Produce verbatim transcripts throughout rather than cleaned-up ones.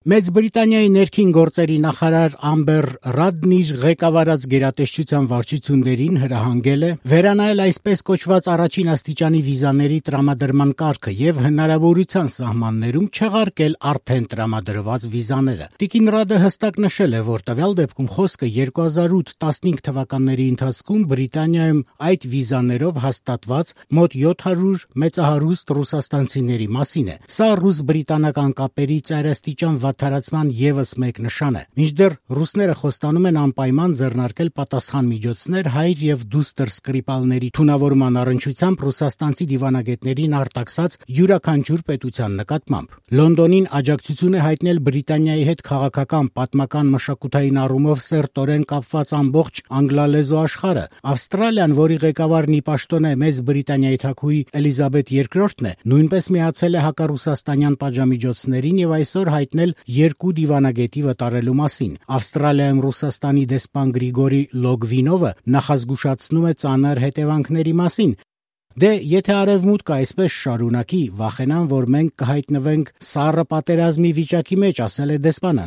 Մեծ Բրիտանիայի ներքին գործերի նախարար Ամբեր Ռադն իր ղեկավարած գերատեսչության վարչություններին հրահանգել է վերանայել այսպես կոչված առաջին աստիճանի վիզաների տրամադրման կարգը եւ հնարավորության սահմաններում չեղարկել արդեն տրամադրված վիզաները։ Տիկին Ռադը հստակ նշել է, որ տվյալ դեպքում խոսքը երկու հազար ութ տասնհինգ թվականների ընթացքում Բրիտանիայում այդ վիզաներով հաստատված մոտ յոթ հարյուր մեծահարուստ ռուսաստանցիների մասին է։ Սա ռուս-բրիտանական կապերի ծայրաստիճան վատթարացման ևս մեկ նշան է։ Մինչդեռ ռուսները խոստանում են անպայման ձեռնարկել պատասխան միջոցներ հայր եւ դուստր սկրիպալների թունավորման առնչությամբ ռուսաստանցի դիվանագետներին արտաքսած յուրաքանչյուր պետության նկատմամբ։ Լոնդոնին աջակցություն է հայտնել Բրիտանիայի հետ քաղաքական, պատմական, մշակութային առումով սերտորեն կապված ամբողջ անգլալեզու աշխարհը։ Ավստրալիան, որի ղեկավարն ի պաշտոն է Մեծ Բրիտանիայի թագուհի Էլիզաբեթ երկրորդն է, նույնպես միացել է հակառուսաստանյան պատժամիջոցներին եւ այսօր հայտնել երկու դիվանագետի վտարելու մասին։ Ավստրալիայում Ռուսաստանի դեսպան Գրիգորի Լոգվինովը նախազգուշացնում է ծանր հետևանքների մասին։ Դե եթե Արևմուտքը այսպես շարունակի, վախենամ, որ մենք կհայտնվենք սառը պատերազմի վիճակի մեջ, ասել է դեսպանը։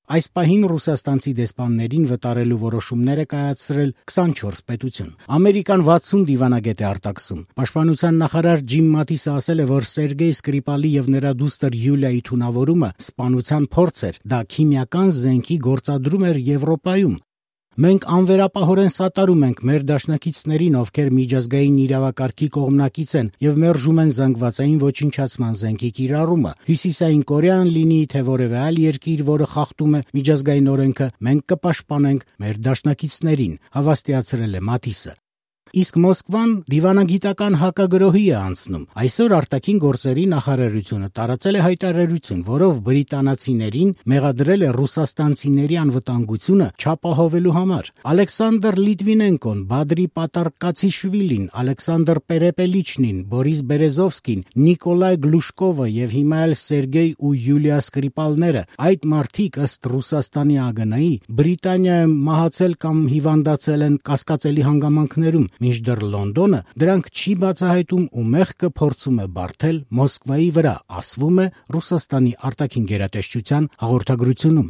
Այս պահին ռուսաստանցի դեսպաններին վտարելու որոշումներ է կայացրել քսանչորս պետություն։ Ամերիկան վաթսուն դիվանագետ է արտաքսում։ Պաշտպանության նախարար Ջիմ Մաթիսը ասել է, որ Սերգեյ Սկրիպալի եւ նրա դուստր Յուլիայի թունավորումը սպանության փորձ էր, դա քիմիական զենքի գործադրում էր Եվրոպայում։ Մենք անվերապահորեն սատարում ենք մեր դաշնակիցներին, ովքեր միջազգային իրավակարգի կողմնակից են եւ մերժում են զանգվածային ոչնչացման զենքի կիրառումը։ Հյուսիսային Կորեան լինի, թե որևէ այլ երկիր, որը խախտում է միջազգային օրենքը, մենք կպաշտպանենք մեր դաշնակիցներին, հավաստիացրել է Մաթիսը։ Իսկ Մոսկվան դիվանագիտական հակագրոհի է անցնում։ Այսօր արտաքին գործերի նախարարությունը տարածել է հայտարարություն, որով բրիտանացիներին մեղադրել է ռուսաստանցիների անվտանգությունը չապահովելու համար։ Ալեքսանդր Լիտվինենկոն, Բադրի Պատարկացիշվիլին, Ալեքսանդր Պերեպելիչնին, Բորիս Բերեզովսկին, Նիկոլայ Գլուշկովը եւ հիմա էլ Սերգեյ ու Յուլիա Սկրիպալները, այդ մարդիկ ըստ Ռուսաստանի ԱԳՆ-ի Բրիտանիայում մահացել կամ հիվանդացել են կասկածելի հանգամանքներում, մինչդեռ Լոնդոնը դրանք չի բացահայտում ու մեղքը փորձում է բարթել Մոսկվայի վրա, ասվում է Ռուսաստանի արտաքին գերատեսչության հաղորդագրությունում։